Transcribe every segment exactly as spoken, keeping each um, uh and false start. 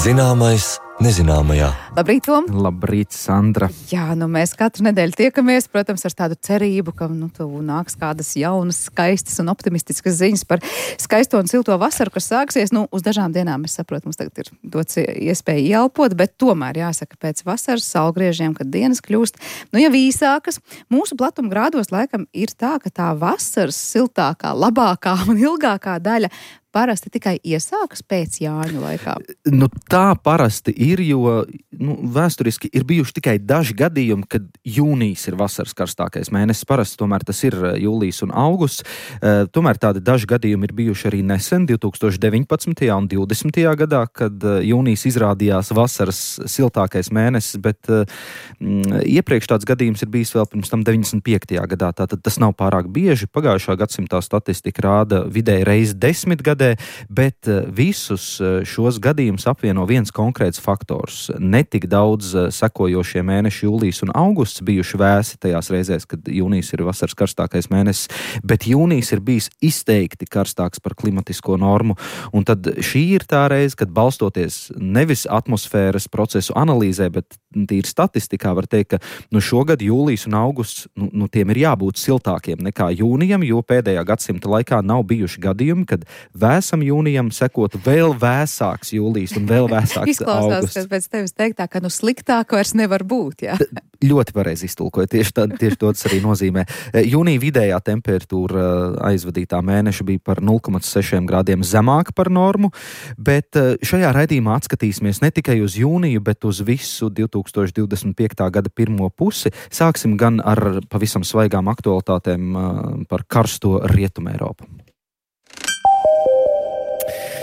Zināmais nezināmajā. Labrīt, Tom! Labrīt, Sandra! Jā, nu mēs katru nedēļu tiekamies, protams, ar tādu cerību, ka nu, tu nāks kādas jaunas, skaistas un optimistiskas ziņas par skaisto un silto vasaru, kas sāksies. Nu, uz dažām dienām, es saprotu, mums tagad ir dots iespēja ieelpot, bet tomēr jāsaka, pēc vasaras saulgriežiem, kad dienas kļūst, nu, ja īsākas, mūsu platuma grādos laikam ir tā, ka tā vasaras siltākā, labākā un ilgākā daļa parasti tikai iesākas pēc Jāņu laikā. Nu, tā parasti ir, jo nu, vēsturiski ir bijuši tikai daži gadījumi, kad jūnijas ir vasaras karstākais mēnesis. Parasti tomēr tas ir jūlijas un augusts. Uh, tomēr tādi daži gadījumi ir bijuši arī nesen, divi tūkstoši deviņpadsmitajā un divdesmitajā gadā, kad uh, jūnijas izrādījās vasaras siltākais mēnesis, bet uh, m, iepriekš tāds gadījums ir bijis vēl pirms tam deviņdesmit piektajā gadā. Tātad tas nav pārāk bieži. Pagājušā gadsimtā statistika rāda vidēji reizi desmit gadu, bet visus šos gadījumus apvieno viens konkrēts faktors. Netik daudz sekojošie mēneši jūlijas un augusts bijuši vēsi tajās reizēs, kad jūnijas ir vasaras karstākais mēnesis, bet jūnijas ir bijis izteikti karstāks par klimatisko normu. Un tad šī ir tā reize, kad balstoties nevis atmosfēras procesu analīzē, bet tīri statistikā var teikt, ka nu, šogad jūlijas un augusts, nu, nu tiem ir jābūt siltākiem nekā jūnijam, jo pēdējā gadsimta laikā nav bijuši gadījumi, kad vēsam jūnijam sekotu vēl vēsāks jūlijas un vēl vēsāks Izklausās, augusts. ka pēc tevis teiktā, ka nu sliktāk vairs nevar būt, jā. T- ļoti pareizi iztulkoja, tieši, tā, tieši to tas arī nozīmē. Jūnija vidējā temperatūra aizvadītā mēneša bija par nulle komats seši grādiem zemāka par normu, bet šajā raidījumā atskatīsimies ne tikai uz jūniju, bet uz visu divi tūkstoši divdesmit piektā gada pirmo pusi. Sāksim gan ar pavisam svaigām aktualitātēm par karsto Rietumu Eiropu.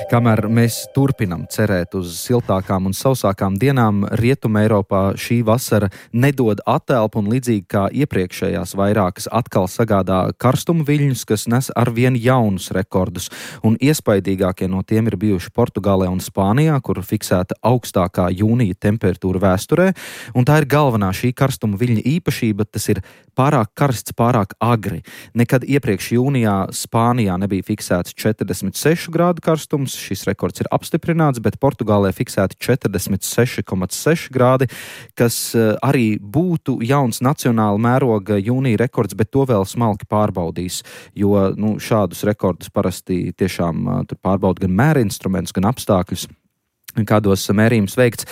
Kamēr mēs turpinam cerēt uz siltākām un sausākām dienām, Rietuma Eiropā šī vasara nedod atelpu un līdzīgi kā iepriekšējās vairākas atkal sagādā karstumu viļņus, kas nes arvien jaunus rekordus. Un iespaidīgākie no tiem ir bijuši Portugālē un Spānijā, kur fiksēta augstākā jūnija temperatūra vēsturē. Un tā ir galvenā šī karstuma viļņa īpašība, tas ir pārāk karsts, pārāk agri. Nekad iepriekš jūnijā Spānijā nebija fiksēts četrdesmit sešu grādu karstums. Šis rekords ir apstiprināts, bet Portugālē fiksēti četrdesmit seši komats seši grādi, kas arī būtu jauns nacionāla mēroga jūnija rekords, bet to vēl smalki pārbaudīs, jo nu, šādus rekordus parasti tiešām tur pārbauda gan mēra instrumentus, gan apstākļus, kādos mērījums veikts.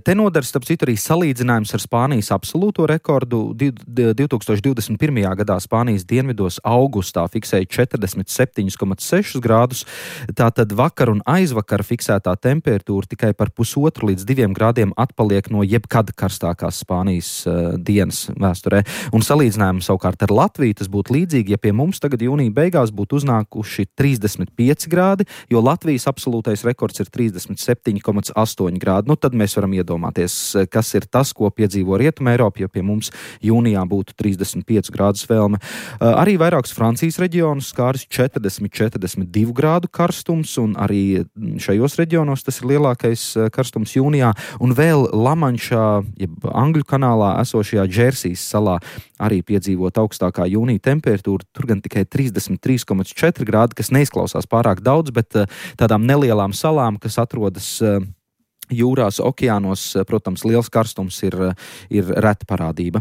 Te nodars, starp citu, arī salīdzinājums ar Spānijas absolūto rekordu. divi tūkstoši divdesmit pirmajā gadā Spānijas dienvidos augustā fiksēja četrdesmit septiņi komats seši grādus. Tātad vakar un aizvakar fiksētā temperatūra tikai par pusotru līdz diviem grādiem atpaliek no jebkad karstākās Spānijas uh, dienas vēsturē. Un salīdzinājumu savukārt ar Latviju tas būtu līdzīgi, ja pie mums tagad jūnija beigās būtu uznākuši trīsdesmit pieci grādi, jo Latvijas absolūtais rekords ir trīsdesmit septiņi komats astoņi grādi. Nu, tad mēs varam iedomāties, kas ir tas, ko piedzīvo Rietuma Eiropa, jo pie mums jūnijā būtu trīsdesmit pieci grādus vēlme. Arī vairākus Francijas reģionus skāris četrdesmit četrdesmit divu grādu karstums, un arī šajos reģionos tas ir lielākais karstums jūnijā. Un vēl Lamanšā, jeb Angļu kanālā esošajā Džersijas salā arī piedzīvot augstākā jūnija temperatūra, tur gan tikai trīsdesmit trīs komats četri grādi, kas neizklausās pārāk daudz, bet tādām nelielām salām, kas atrodas jūrās, okeānos, protams, liels karstums ir, ir reta parādība.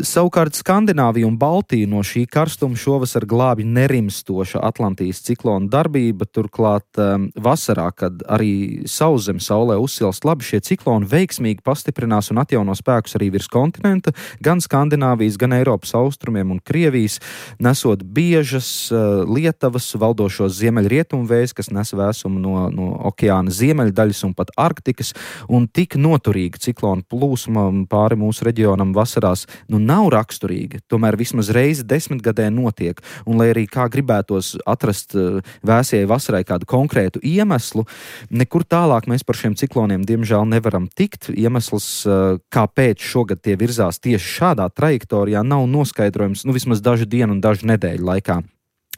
Savukārt Skandināvija un Baltija no šī karstuma šovasar glābj nerimstoša Atlantijas ciklona darbība, turklāt um, vasarā, kad arī sauszem saulē uzsilst labi, šie cikloni veiksmīgi pastiprinās un atjauno spēkus arī virs kontinenta, gan Skandināvijas, gan Eiropas austrumiem un Krievijas, nesot biežas uh, lietavas, valdošos ziemeļrietumu vējus, kas nes vēsumu no, no okeāna ziemeļdaļas un pat Arktikas, un tik noturīga ciklona plūsma pāri mūsu reģionam vasarās nu nav raksturīga, tomēr vismaz reizi desmitgadē notiek, un lai arī kā gribētos atrast vēsajai vasarai kādu konkrētu iemeslu, nekur tālāk mēs par šiem cikloniem diemžēl nevaram tikt. Iemesls, kāpēc šogad tie virzās tieši šādā trajektorijā, nav noskaidrojums, nu vismaz dažu dienu un dažu nedēļu laikā.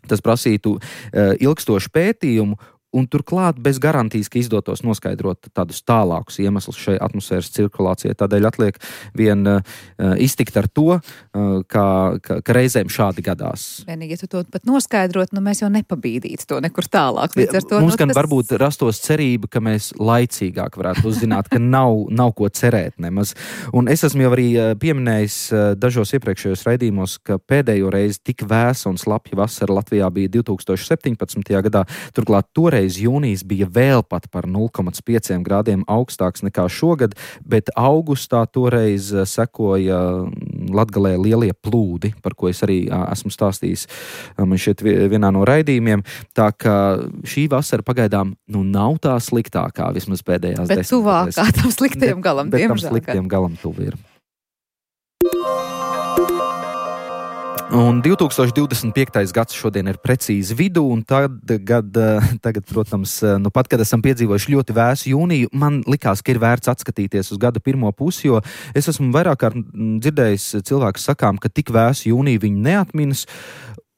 Tas prasītu uh, ilgstošu pētījumu Un turklāt bez garantijas, ka izdotos noskaidrot tādus tālākus iemeslus šai atmosfēras cirkulācijai. Tādēļ atliek vien uh, iztikt ar to, uh, ka, ka, ka reizēm šādi gadās. Vienīgi, ja tu to pat noskaidrot, nu mēs jau nepabīdītu to nekur tālāk. Līdz ar to, Mums nu, gan tas... varbūt rastos cerība, ka mēs laicīgāk varētu uzzināt, ka nav, nav ko cerēt nemaz. Un es esmu jau arī pieminējis dažos iepriekšējos raidījumos, ka pēdējo reizi tik vēsa un slapja vasara Latvijā bija divi tūkstoši septiņpadsmitajā gadā. Turklāt toreiz jūnijas bija vēl pat par nulle komats pieci grādiem augstāks nekā šogad, bet augustā toreiz sekoja Latgalē lielie plūdi, par ko es arī esmu stāstījis man šeit vienā no raidījumiem. Tā ka šī vasara pagaidām nu nav tā sliktākā, vismaz pēdējās bet desmitgadēs. Bet tuvākā tam sliktiem galam, bet, bet diemžēl. tam sliktiem galam tuvi ir. Un divi tūkstoši divdesmit piektais gads šodien ir precīzi vidū, un tagad, tagad, protams, nu pat, kad esam piedzīvojuši ļoti vēsu jūniju, man likās, ka ir vērts atskatīties uz gada pirmo pusi, jo es esmu vairāk kārt dzirdējis cilvēkus sakām, ka tik vēsu jūniju viņi neatminas.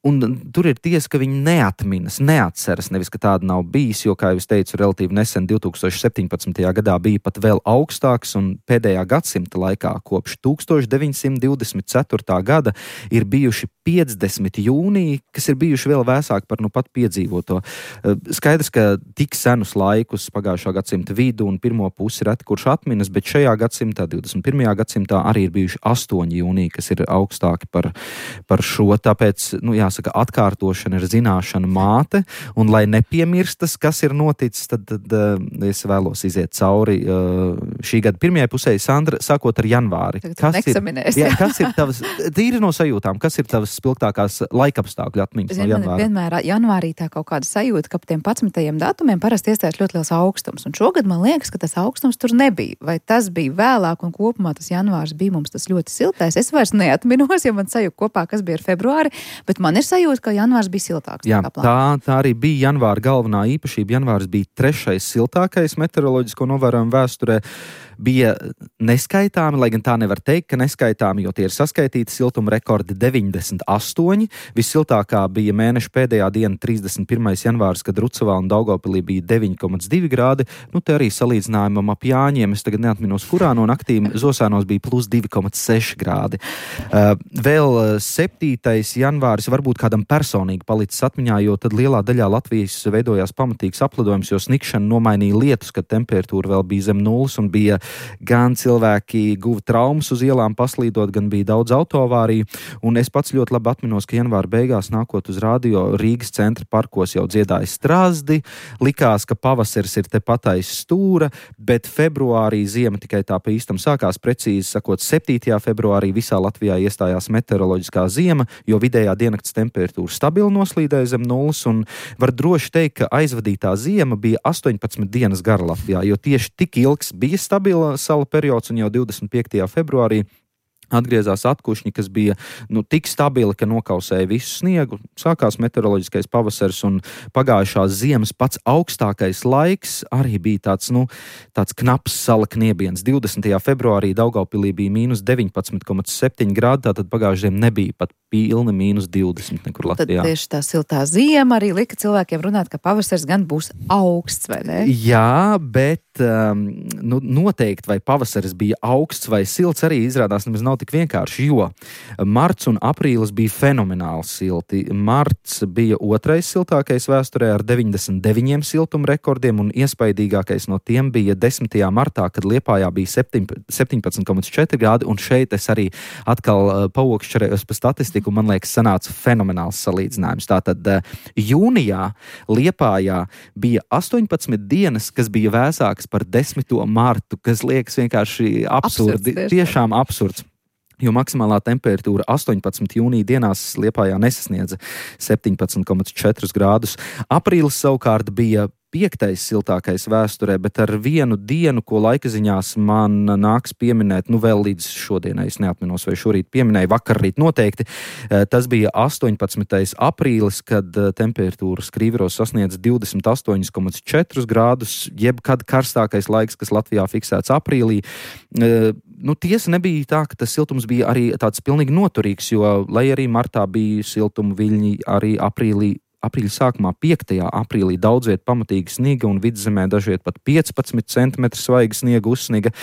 Un tur ir tiesa, ka viņi neatminas, neatceras, nevis, ka tāda nav bijis, jo, kā jau es teicu, relatīvi nesen divi tūkstoši septiņpadsmitajā gadā bija pat vēl augstāks, un pēdējā gadsimta laikā kopš tūkstoš deviņsimt divdesmit ceturtā gada ir bijuši piecdesmit jūniji, kas ir bijuši vēl vēsāki par nu pat piedzīvoto. Skaidrs, ka tik senus laikus pagājušā gadsimta vidu un pirmo pusi reti kurš atminas, bet šajā gadsimtā, divdesmit pirmajā gadsimtā arī ir bijuši astoņi jūniji, kas ir augstāki par, par šo, tāpēc, nu jā, Saka, atkārtošana ir zināšana māte, un lai nepiemirstas, kas ir noticis, tad, tad uh, es vēlos iziet cauri uh, šī gada pirmajai pusē. Sandra, sākot ar janvāri. Kas ir, jā, kas ir tavas, tīri no sajūtām, kas ir tavas spilgtākās laikapstākļu atmiņas no janvāra? Vienmēr janvārī tā kaut kāda sajūta, ka pa tiem padsmitajiem datumiem parasti iestājas ļoti liels augstums, un šogad man liekas, ka tas augstums tur nebija. Vai tas bija vēlāk, un kopumā tas janvārs bija mums tas ļoti siltais? Es vairs neatminos, ja man sajūta kopā, kas bija ar februāri, bet man ir sajūta, ka janvārs bija siltāks. Jā, tā, tā arī bija janvāra galvenā īpašība. Janvārs bija trešais siltākais meteoroloģisko novērojumu vēsturē. Bija neskaitāmi, lai gan tā nevar teikt, ka neskaitāmi, jo tie ir saskaitīti siltuma rekordi deviņdesmit astoņi. Vissiltākā bija mēneša pēdējā diena, trīsdesmit pirmais janvārs, kad Rucavā un Daugavpilī bija deviņi komats divi grādi. Nu, te arī salīdzinājumam ap Jāņiem, es tagad neatminos, kurā no naktīm Zosānos bija plus divi komats seši grādi. Uh, vēl septītais janvāris varbūt kādam personīgi palicis atmiņā, jo tad lielā daļā Latvijas veidojās pamatīgs aplidojums, jo snikšana nomainīja lietus, kad temperatūra vēl bija zem nulles un bija gan cilvēki guva traumas uz ielām paslīdot, gan bija daudz autoavāriju. Un es pats ļoti labi atminos, ka janvāra beigās nākot uz radio Rīgas centra parkos jau dziedāja strazdi, likās, ka pavasaris ir tepat aiz stūra, bet februārī ziema tikai tā pa īstam sākās, precīzi sakot, septītajā februārī visā Latvijā iestājās meteoroloģiskā ziema, jo vidējā diennakts temperatūra stabili noslīdēja zem nulles, un var droši teikt, ka aizvadītā ziema bija astoņpadsmit dienas gara Latvijā, jo tieši tik ilgs bija stabila sala periods, un jau divdesmit piektajā februārī atgriezās atkušņi, kas bija nu, tik stabili, ka nokausēja visu sniegu. Sākās meteoroloģiskais pavasaris, un pagājušās ziemas pats augstākais laiks arī bija tāds, nu, tāds knaps sala kniebiens. divdesmitajā februārī Daugavpilī bija mīnus deviņpadsmit komats septiņi grādi, tātad pagājušajā ziemā nebija pat pilni mīnus divdesmit nekur Latvijā. Tad tieši tā siltā ziema arī lika cilvēkiem runāt, ka pavasaris gan būs augsts, vai ne? Jā, bet um, nu, noteikti vai pavasaris bija augsts vai silts arī izrādās nemaz nav tik vienkārši, jo marts un aprīlis bija fenomenāli silti. Marts bija otrais siltākais vēsturē ar deviņdesmit deviņiem siltuma rekordiem, un iespaidīgākais no tiem bija desmitajā martā, kad Liepājā bija septiņpadsmit komats četri grādi, un šeit es arī atkal paokšķerējos pa statistiku, un man liekas sanāca fenomenāls salīdzinājums. Tātad jūnijā Liepājā bija astoņpadsmit dienas, kas bija vēsākas par desmito martu, kas liekas vienkārši absurdi, absurds, tiešām absurds. Jo maksimālā temperatūra astoņpadsmit jūnija dienās Liepājā nesasniedza septiņpadsmit komats četri grādus. Aprīlis savukārt bija piektais siltākais vēsturē, bet ar vienu dienu, ko laikaziņās man nāks pieminēt, nu vēl līdz šodienai, es neatminos, vai šorīt pieminēju, vakarrīt noteikti, tas bija astoņpadsmitais aprīlis, kad temperatūra Skrīveros sasniedz divdesmit astoņi komats četri grādus, jebkad karstākais laiks, kas Latvijā fiksēts aprīlī. Nu, tiesa nebija tā, ka tas siltums bija arī tāds pilnīgi noturīgs, jo, lai arī martā bija siltuma viļņi, arī aprīlī aprīļa sākumā piektajā aprīlī daudz viet pamatīgi sniga un vidzemē dažviet pat piecpadsmit centimetri svaiga sniega uzsniga.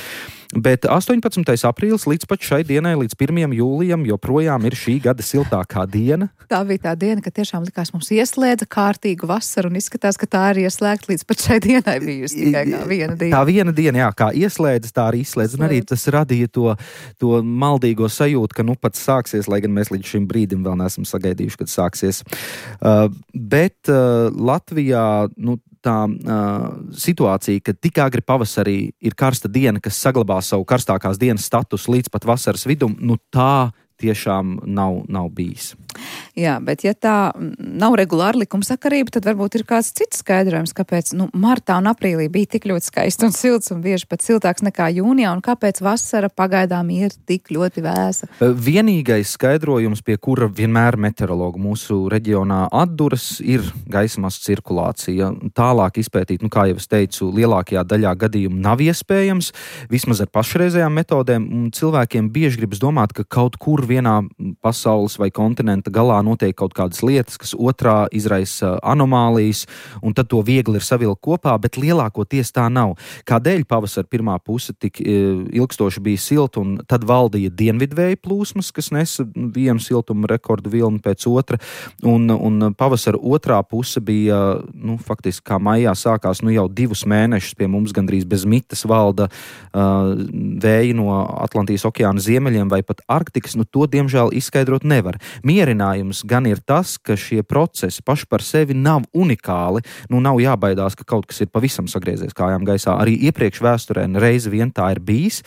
Bet astoņpadsmitais aprīlis līdz pat šai dienai, līdz pirmajam jūlijam, joprojām ir šī gada siltākā diena. Tā bija tā diena, kad tiešām likās mums ieslēdza kārtīgu vasaru un izskatās, ka tā ir ieslēgta līdz pat šai dienai bijusi tikai kā viena diena. Tā viena diena, jā, kā ieslēdz, tā arī izslēdz. Un arī tas radīja to, to maldīgo sajūtu, ka nu pats sāksies, lai gan mēs līdz šim brīdim vēl neesam sagaidījuši, kad sāksies. Uh, bet uh, Latvijā, nu, tā uh, situācija, ka tik agri pavasarī ir karsta diena, kas saglabā savu karstākās dienas statusu līdz pat vasaras vidum, nu tā tiešām nav, nav bijis. Jā, bet ja tā nav regulāra likumsakarība, tad varbūt ir kāds cits skaidrojums, kāpēc nu, martā un aprīlī bija tik ļoti skaists un silts un bieži pat siltāks nekā jūnijā, un kāpēc vasara pagaidām ir tik ļoti vēsa. Vienīgais skaidrojums, pie kura vienmēr meteorologu mūsu reģionā atduras, ir gaisa masu cirkulācija. Tālāk izpētīt, nu kā jau es teicu, lielākajā daļā gadījumu nav iespējams, vismaz ar pašreizējām metodēm, un cilvēkiem bieži gribas domāt, ka kaut kur vienā pasaules vai kontinenta galā notiek kaut kādas lietas, kas otrā izraisa anomālijas, un tad to viegli ir savilkt kopā, bet lielākoties tā nav. Kādēļ pavasara pirmā puse tik ilgstoši bija silta, un tad valdīja dienvidvēja plūsmas, kas nesa vienu siltuma rekordu vilni pēc otra, un, un pavasara otrā puse bija, nu, faktiski kā maijā sākās, nu jau divus mēnešus pie mums gandrīz bez mitas valda uh, vēji no Atlantijas okeāna ziemeļiem vai pat Arktikas, nu to, diemžēl, izskaidrot nevar. Mierinājums gan ir tas, ka šie procesi paši par sevi nav unikāli, nu nav jābaidās, ka kaut kas ir pavisam sagriezies kājām gaisā. Arī iepriekš vēsturē reizi vien tā ir bijis,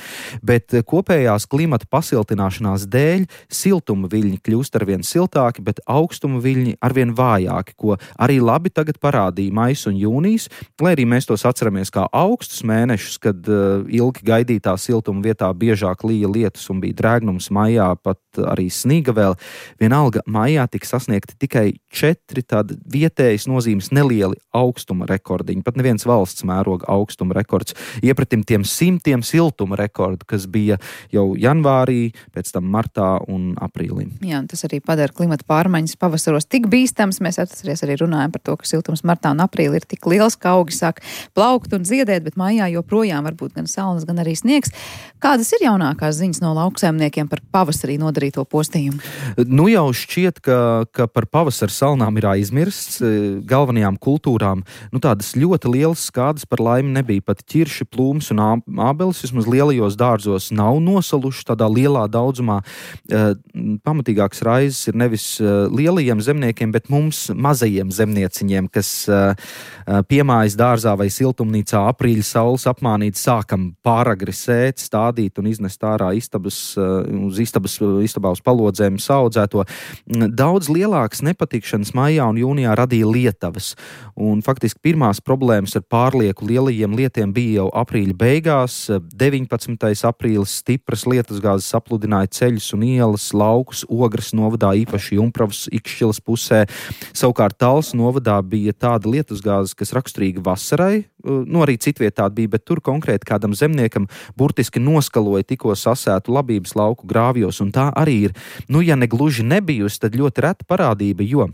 bet kopējās klimata pasiltināšanās dēļ siltuma viļņi kļūst arvien siltāki, bet augstuma viļņi arvien vājāki, ko arī labi tagad parādīja maijs un jūnijas, lai arī mēs tos atceramies kā augstus mēnešus, kad uh, ilgi gaidītā siltuma vietā biežāk līja lietus un bija drēgnums maijā, pat arī sniga vēl. Vienalga maijā tika sasniegti tikai četri tādi vietējas nozīmes nelieli augstuma rekordiņi. Pat neviens valsts mēroga augstuma rekords. Iepratim tiem simtiem siltuma rekordu, kas bija jau janvārī, pēc tam martā un aprīlī. Jā, un tas arī padara klimata pārmaiņas pavasaros tik bīstams. Mēs atceries arī runājam par to, ka siltums martā un aprīlī ir tik liels, ka augi sāk plaukt un ziedēt, bet maijā joprojām varbūt gan saules, gan arī sniegs. Kādas ir jaunākās ziņas no lauksaimniekiem par pavasarī nodarīto postījumu? Nu jau šķiet, ka, ka par pavasara salnām ir aizmirsts. Galvenajām kultūrām nu, tādas ļoti lielas skādas par laimi nebija. Pat ķirši, plūms un ābeles vismaz lielajos dārzos nav nosaluši tādā lielā daudzumā. Pamatīgāks raizes ir nevis lielajiem zemniekiem, bet mums mazajiem zemnieciņiem, kas piemājas dārzā vai siltumnīcā aprīļa saules apmānīt sākam pāragri sēt, stādīt un iznest ārā istabas, uz istabas, istabā uz palodzēm saudzēto. Daudz lielākas nepatikšanas maijā un jūnijā radīja lietavas. Un faktiski pirmās problēmas ar pārlieku lielajiem lietiem bija jau aprīļa beigās. deviņpadsmitais aprīlis stipras lietusgāzes sapludināja ceļus un ielas, laukus, Ogres novadā, īpaši Jumpravas Ikšķilas pusē. Savukārt Talsu novadā bija tāda lietusgāzes, kas raksturīga vasarai, nu arī citvietā bija, bet tur konkrēti kādam zemniekam burtiski noskaloja tikko sasētu labības lauku grāvjos, un tā arī ir, nu ja ne gluži nebijusi, tad ļoti reta parādība, jo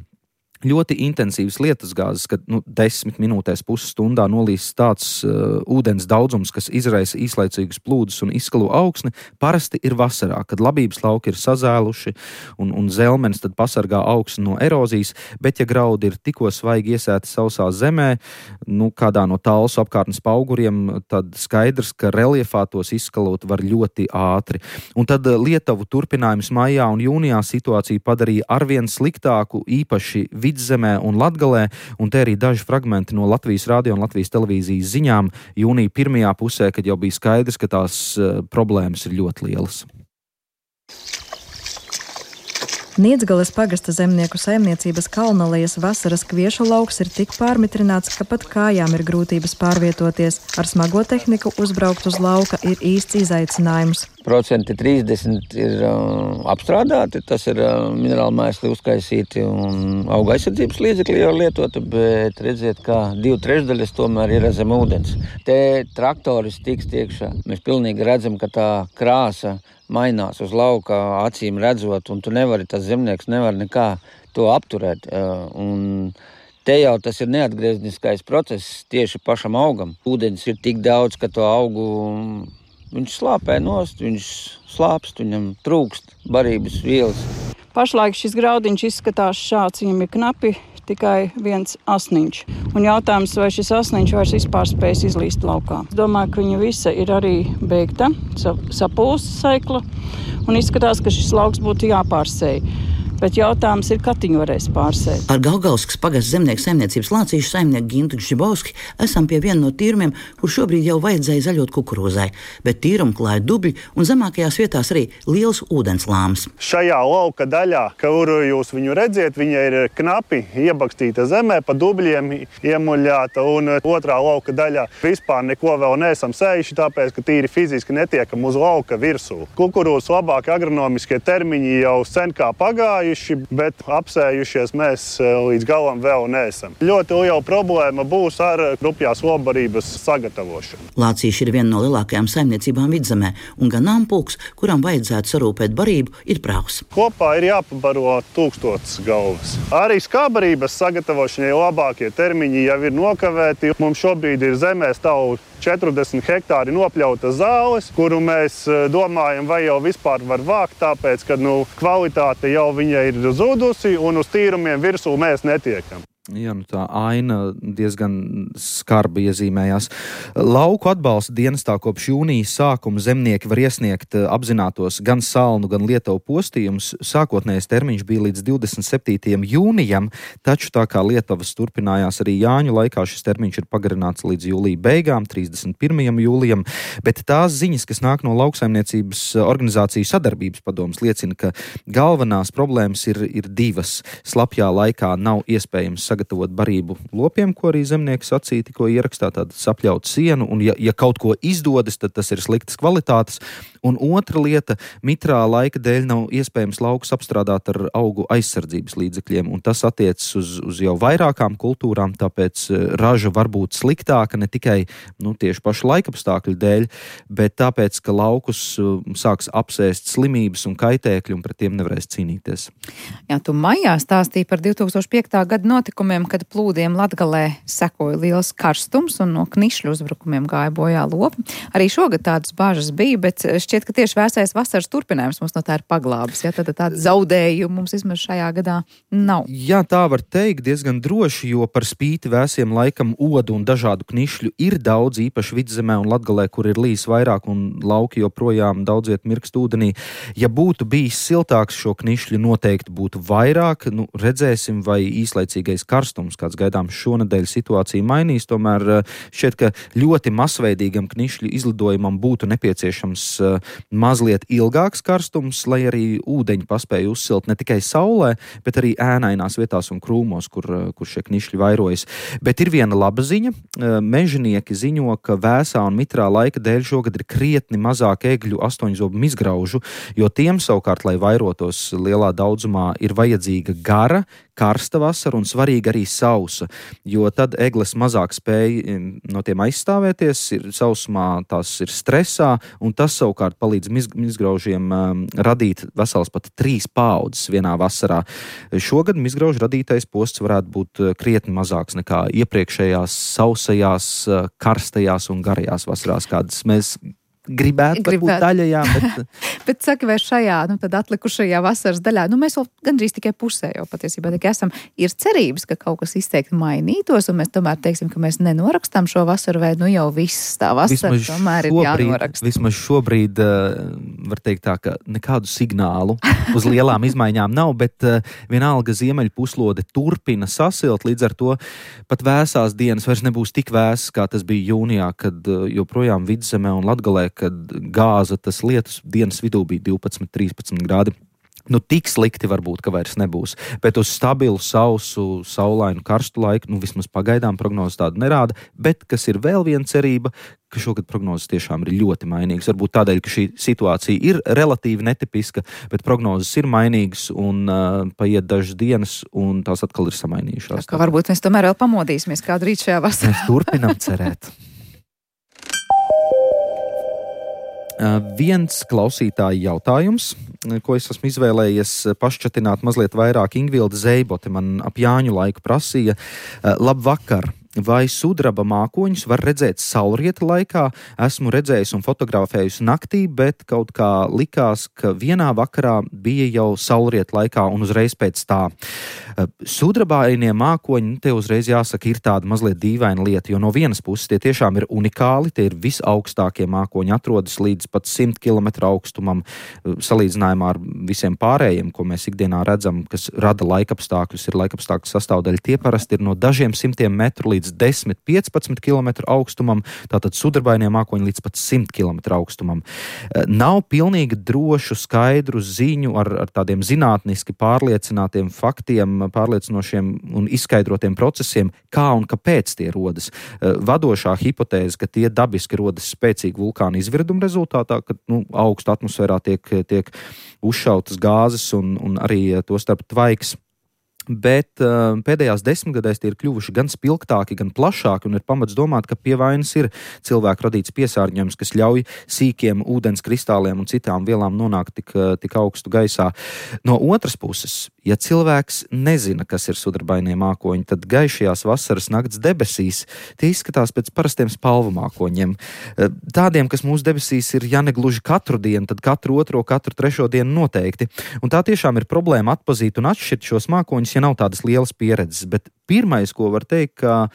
ļoti intensīvas lietusgāzes, kad nu, desmit minūtēs pusstundā nolīs tāds uh, ūdens daudzums, kas izraisa īslaicīgus plūdus un izskalo augsni, parasti ir vasarā, kad labības lauki ir sazēluši un, un zelmenis tad pasargā augsni no erozijas, bet ja graudi ir tikko svaigi iesēti sausā zemē, nu, kādā no Talsu apkārtnes pauguriem, tad skaidrs, ka reljefā tos izskalot var ļoti ātri. Un tad Lietuvu turpinājums maijā un jūnijā situāciju padarīja arvien sliktāku, īpaši Vidzemē un Latgalē, un te arī daži fragmenti no Latvijas radio un Latvijas televīzijas ziņām jūnija pirmajā pusē, kad jau bija skaidrs, ka tās uh, problēmas ir ļoti lielas. Niedzgales pagasta zemnieku saimniecības Kalnalejas vasaras kviešu lauks ir tik pārmitrināts, ka pat kājām ir grūtības pārvietoties. Ar smago tehniku uzbraukt uz lauka ir īsts izaicinājums. Procenti trīsdesmit ir uh, apstrādāti, tas ir uh, minerāli mēsli uzkaisīti un auga aizsardzības līdzekļi jau lietoti, bet redziet, kā divi trešdaļas tomēr ir zem ūdens. Te traktoris tiks iekšā. Mēs pilnīgi redzam, ka tā krāsa mainās uz lauka, acīm redzot, un tu nevari, tas zemnieks nevar nekā to apturēt. Un te jau tas ir neatgriezniskais process tieši pašam augam. Ūdens ir tik daudz, ka to augu viņš slāpē nost, viņš slāpst, viņam trūkst barības vielas. Pašlaik šis graudiņš izskatās šāds, viņam ir knapi tikai viens asniņš. Un jautājums, vai šis asniņš vairs vispār spējas izlīst laukā. Es domāju, ka viņa visa ir arī beigta, sapūsta saikla, un izskatās, ka šis lauks būtu jāpārsēj. Bet jautājums ir, kad viņi varēs pārsēt. Ar Gaugalskas pagasta zemnieku saimniecības lācīšu saimnieku Gintu Gžibovski esam pie viena no tīrumiem, kur šobrīd jau vajadzēja zaļot kukurūzai, bet tīrumu klāja dubļi un zemākajās vietās arī liels ūdenslāms. Šajā lauka daļā, kuru jūs viņu redziet, viņa ir knapi iebakstīta zemē, pa dubļiem iemuļāta, un otrā lauka daļā vispār neko vēl neesam sējuši, tāpēc, ka tīri fiziski netiekam uz lauka virsū. Kukurūzas labākie agronomiskie termiņi jau sen kā pagāja, bet apsējušies mēs līdz galam vēl neesam. Ļoti liela problēma būs ar rupjās olbarības sagatavošanu. Lācīši ir viena no lielākajām saimniecībām Vidzemē, un ganāmpulks, kuram vajadzētu sarūpēt barību, ir pravs. Kopā ir jāpabaro tūkstotis galvas. Arī skābarības sagatavošanai labākie termiņi jau ir nokavēti. Mums šobrīd ir zemē stāv četrdesmit hektāri nopļautas zāles, kuru mēs domājam, vai jau vispār var vākt, tāpēc, ka nu, kvalitāte jau viņa ir zudusi un uz tīrumiem virsū mēs netiekam. Jā, nu tā aina diezgan skarbi iezīmējās. Lauku atbalsta dienestā kopš jūnijas sākuma zemnieki var iesniegt apzinātos gan salnu, gan Lietuvu postījumus. Sākotnējais termiņš bija līdz divdesmit septītajam jūnijam, taču tā kā Lietuvas turpinājās arī Jāņu laikā, šis termiņš ir pagarināts līdz jūlija beigām, trīsdesmit pirmajam jūlijam, bet tās ziņas, kas nāk no lauksaimniecības organizāciju sadarbības padomas, liecina, ka galvenās problēmas ir, ir divas. Slapjā laikā nav iespējams sagatavot barību lopiem, ko arī zemnieki sacīja, tikko ierakstā tādu sapļautu sienu, un ja, ja kaut ko izdodas, tad tas ir sliktas kvalitātes. Un otra lieta, mitrā laika dēļ nav iespējams laukus apstrādāt ar augu aizsardzības līdzekļiem, un tas attiecas uz, uz jau vairākām kultūrām, tāpēc raža var būt sliktāka ne tikai nu, tieši pašu laikapstākļu dēļ, bet tāpēc, ka laukus sāks apsēst slimības un kaitēkļi, un pret tiem nevarēs cīnīties. Jā, tu maijā stāstīji par divtūkstoš piektā gada notikumiem, kad plūdiem Latgalē sekoja liels karstums un no knišļu uzbrukumiem gāja bojā lopi. Arī šogad tādas bāžas bija, bet šķiet, ka tieši vēsais vasaras turpinājums mums no tā ir paglābis. Ja? Tad tāda zaudējuma mums vismaz šajā gadā nav. Jā, tā var teikt diezgan droši, jo par spīti vēsiem laikam odu un dažādu knišļu ir daudz, īpaši Vidzemē un Latgalē, kur ir līs vairāk un lauki joprojām daudz viet mirkst ūdenī. Ja būtu bijis siltāks, šo knišļu noteikti būtu vairāk. Nu, redzēsim, vai īslaicīgais karstums, kāds gaidāms šonedēļ, situācija mainīs. Tomēr šķiet, ka ļoti masveidīgam knišļu izlidojumam būtu nepieciešams mazliet ilgāks karstums, lai arī ūdeņi paspēja uzsilt ne tikai saulē, bet arī ēnainās vietās un krūmos, kur, kur šie knišļi vairojas. Bet ir viena laba ziņa. Mežonieki ziņo, ka vēsā un mitrā laika dēļ šogad ir krietni mazāk egļu astoņzobu mizgraužu, jo tiem savukārt, lai vairotos lielā daudzumā, ir vajadzīga gara, karsta vasara un svarīga arī sausa, jo tad egles mazāk spēja no tiem aizstāvēties, ir sausumā tās ir stresā, un tas savukārt palīdz miz, mizgraužiem um, radīt vesels pat trīs paaudzes vienā vasarā. Šogad mizgraužu radītais posts varētu būt krietni mazāks nekā iepriekšējās sausajās, karstajās un garajās vasarās, kādas mēs gribētu, gribētu. Būt daļajā, bet... bet saki, vai šajā, nu tad atlikušajā vasaras daļā, nu mēs vēl gandrīz tikai pusē jau patiesībā tikai esam, ir cerības, ka kaut kas izteikti mainītos, un mēs tomēr teiksim, ka mēs nenorakstām šo vasaru, vai nu jau viss tā vasara vismaz tomēr šobrīd, ir jānoraksta. Vismaz šobrīd, var teikt tā, ka nekādu signālu uz lielām izmaiņām nav, bet vienalga ziemeļu puslode turpina sasilt, līdz ar to pat vēsās dienas vairs nebūs tik vēsas, kā tas bija jūnijā, kad joprojām Vidzemē un Latgalē, kad gāza tas lietus dienas vidū bija divpadsmit trīspadsmit grādi. Nu, tik slikti varbūt, ka vairs nebūs. Bet uz stabilu, sausu, saulainu, karstu laiku, nu, vismaz pagaidām prognozes tādu nerāda. Bet, kas ir vēl viena cerība, ka šogad prognozes tiešām ir ļoti mainīgas. Varbūt tādēļ, ka šī situācija ir relatīvi netipiska, bet prognozes ir mainīgas un uh, paiet dažas dienas, un tās atkal ir samainījušās. Tā kā varbūt mēs tomēr vēl pamodīsimies kādu rīt šajā vasarā. Mēs turpinām cerēt. Uh, viens klausītāja jautājums, ko es esmu izvēlējies pašķatināt mazliet vairāk. Ingvilda Zeibote man ap Jāņu laiku prasīja. Uh, labvakar! Vai sudraba mākoņus var redzēt saulrieta laikā? Esmu redzējis un fotografējusi naktī, bet kaut kā likās, ka vienā vakarā bija jau saulrieta laikā un uzreiz pēc tā. Sudrabainie mākoņi, te uzreiz jāsaka, ir tāda mazliet dīvaina lieta, jo no vienas puses tie tiešām ir unikāli, tie ir visaugstākie mākoņi, atrodas līdz pat simt kilometru augstumam, salīdzinājumā ar visiem pārējiem, ko mēs ikdienā redzam, kas rada laikapstākļus, ir laikapstākļu sastāvdaļa. Tie parasti ir no dažiem simtiem metru līdz desmit līdz piecpadsmit kilometru augstumam, tātad sudrabainie mākoņi līdz pat simt kilometru augstumam. Nav pilnīgi drošu, skaidru ziņu ar, ar tādiem zinātniski pārliecinātiem faktiem, pārliecinošiem un izskaidrotiem procesiem, kā un kāpēc tie rodas. Vadošā hipotēze, ka tie dabiski rodas spēcīgu vulkānu izvirdumu rezultātā, kad nu, augstu atmosfērā tiek, tiek uzšautas gāzes un, un arī to starp tvaiks. Bet uh, pēdējās desmitgadēs tie ir kļuvuši gan spilgtāki, gan plašāki, un ir pamats domāt, ka pie vainas ir cilvēku radīts piesārņojums, kas ļauj sīkiem ūdens kristāliem un citām vielām nonākt tik, tik augstu gaisā. No otras puses, ja cilvēks nezina, kas ir sudrabainie mākoņi, tad gaišajās vasaras nakts debesīs tie izskatās pēc parastiem spalvu mākoņiem. Tādiem, kas mūsu debesīs ir ja ne gluži katru dienu, tad katru otro, katru trešo dienu noteikti. Un tā tiešām ir problēma atpazīt un atšķirt šos mākoņus, ja nav tādas lielas pieredzes, bet pirmais, ko var teikt, ka,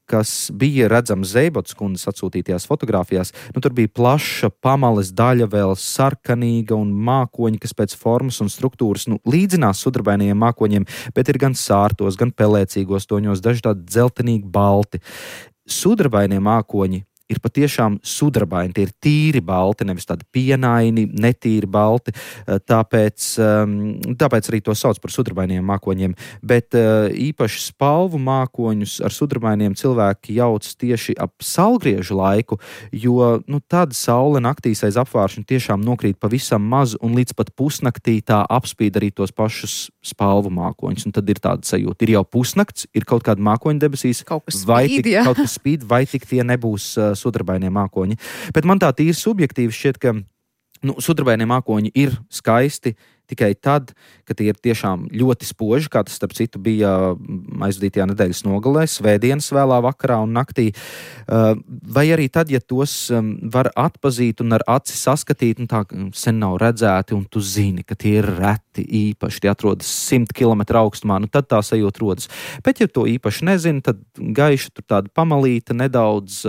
kas bija redzams Zeibotas kundzes atsūtītajās fotogrāfijās, nu tur bija plaša pamales daļa, vēl sarkanīga un mākoņi, kas pēc formas un struktūras nu, līdzinās sudrabainajiem mākoņiem, bet ir gan sārtos, gan pelēcīgos toņos, daži tādi dzeltenīgi balti. Sudrabainie mākoņi ir patiešām sudrabaini, tie ir tīri balti, nevis tādi pienaini, netīri balti, tāpēc, tāpēc arī to sauc par sudrabainiem mākoņiem, bet īpaši spalvu mākoņus ar sudrabainiem cilvēki jauc tieši ap saulgriežu laiku, jo nu, tad saule naktīs aiz apvāršņa tiešām nokrīt pavisam maz un līdz pat pusnaktī tā apspīd arī tos pašus spalvu mākoņus, un tad ir tāda sajūta, ir jau pusnakts, ir kaut kāda mākoņa debesīs, kaut kas vai spīd, tik, ja? kaut kas spīd, vai tik tie nebūs sudrabainie mākoņi. Bet man tā tīri subjektīvi šķiet, ka nu, sudrabainie mākoņi ir skaisti tikai tad, kad tie ir tiešām ļoti spoži, kā tas starp citu bija aizvadītajā nedēļas nogalē, svētdienas vēlā vakarā un naktī. Vai arī tad, ja tos var atpazīt un ar aci saskatīt, un tā sen nav redzēti, un tu zini, ka tie ir reti īpaši, tie atrodas simt kilometru augstumā, nu tad tā sajūta rodas. Bet, ja to īpaši nezini, tad gaiša tur tāda pamalīta nedaudz,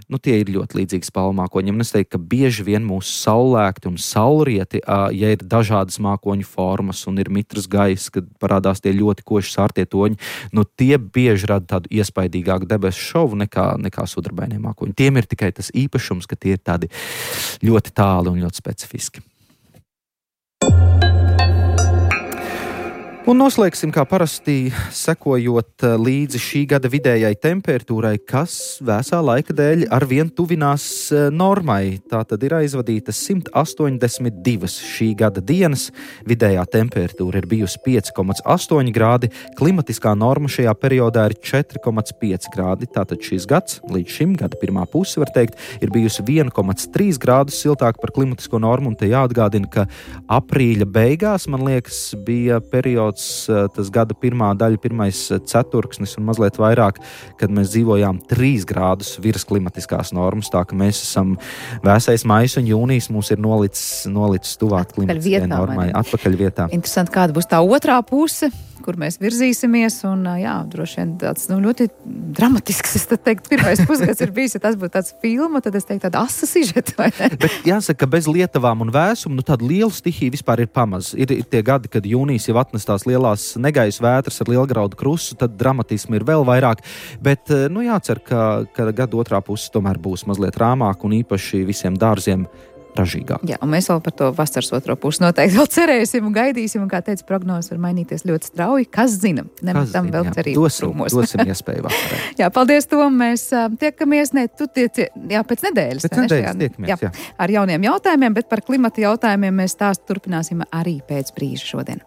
nu tie ir ļoti līdzīgi spalvu mākoņiem. Un es teiktu, ka bieži vien mūsu saulēkti un saulrieti, ja ir dažādas mākoņu formas un ir mitrs gaiss, kad parādās tie ļoti koši sārtie toņi, nu tie bieži rada tādu iespaidīgāku debesu šovu nekā, nekā sudrabainie mākoņi. Tiem ir tikai tas īpašums, ka tie ir tādi ļoti tāli un ļoti specifiski. Un noslēgsim, kā parasti, sekojot līdzi šī gada vidējai temperatūrai, kas vēsā laika dēļ arvien tuvinās normai. Tā tad ir aizvadītas simt astoņdesmit divas šī gada dienas. Vidējā temperatūra ir bijusi pieci komats astoņi grādi, klimatiskā norma šajā periodā ir četri komats pieci grādi. Tātad šis gads, līdz šim gada pirmā puse, var teikt, ir bijusi viens komats trīs grādus siltāk par klimatisko normu, un te jāatgādina, ka aprīļa beigās, man liekas, bija periods tas gada pirmā daļa, pirmais ceturksnis un mazliet vairāk, kad mēs dzīvojām trīs grādus virs klimatiskās normas, tā ka mēs esam vēsais maijs un jūnijas mums ir nolicis, nolicis tuvāk klimatiskajai normai. Atpakaļ vietā. Interesanti, kāda būs tā otrā puse, kur mēs virzīsimies, un jā, droši vien tāds nu, ļoti dramatisks, es tad teiktu, pirmais pusgads ir bijis, ja tas būtu tāds filma, tad es teiktu tāda asa sižeta, vai ne? Bet jāsaka, ka bez lietavām un vēsumu, nu tāda liela stihija vispār ir pamaz. Ir, ir tie gadi, kad jūnijas jau atnestās lielās negaisa vētras ar lielgraudu krustu, tad dramatismu ir vēl vairāk, bet, nu jācer, ka, ka gada otrā puse tomēr būs mazliet rāmāk un īpaši visiem dārziem ražīgāk. Jā, un mēs vēl par to vasaras otro pusi noteikti vēl cerēsim un gaidīsim, un kā teica, prognozes var mainīties ļoti strauji. Kas zina? Nemetam vēl cerību krūmos. Dosim iespēju vakarā. Jā, paldies, Tom. Mēs uh, tiekamies, ne, tu tiec, jā, pēc nedēļas. Pēc nedēļas tiekamies, jā. jā. Ar jauniem jautājumiem, bet par klimata jautājumiem mēs stāstu turpināsim arī pēc brīža šodien.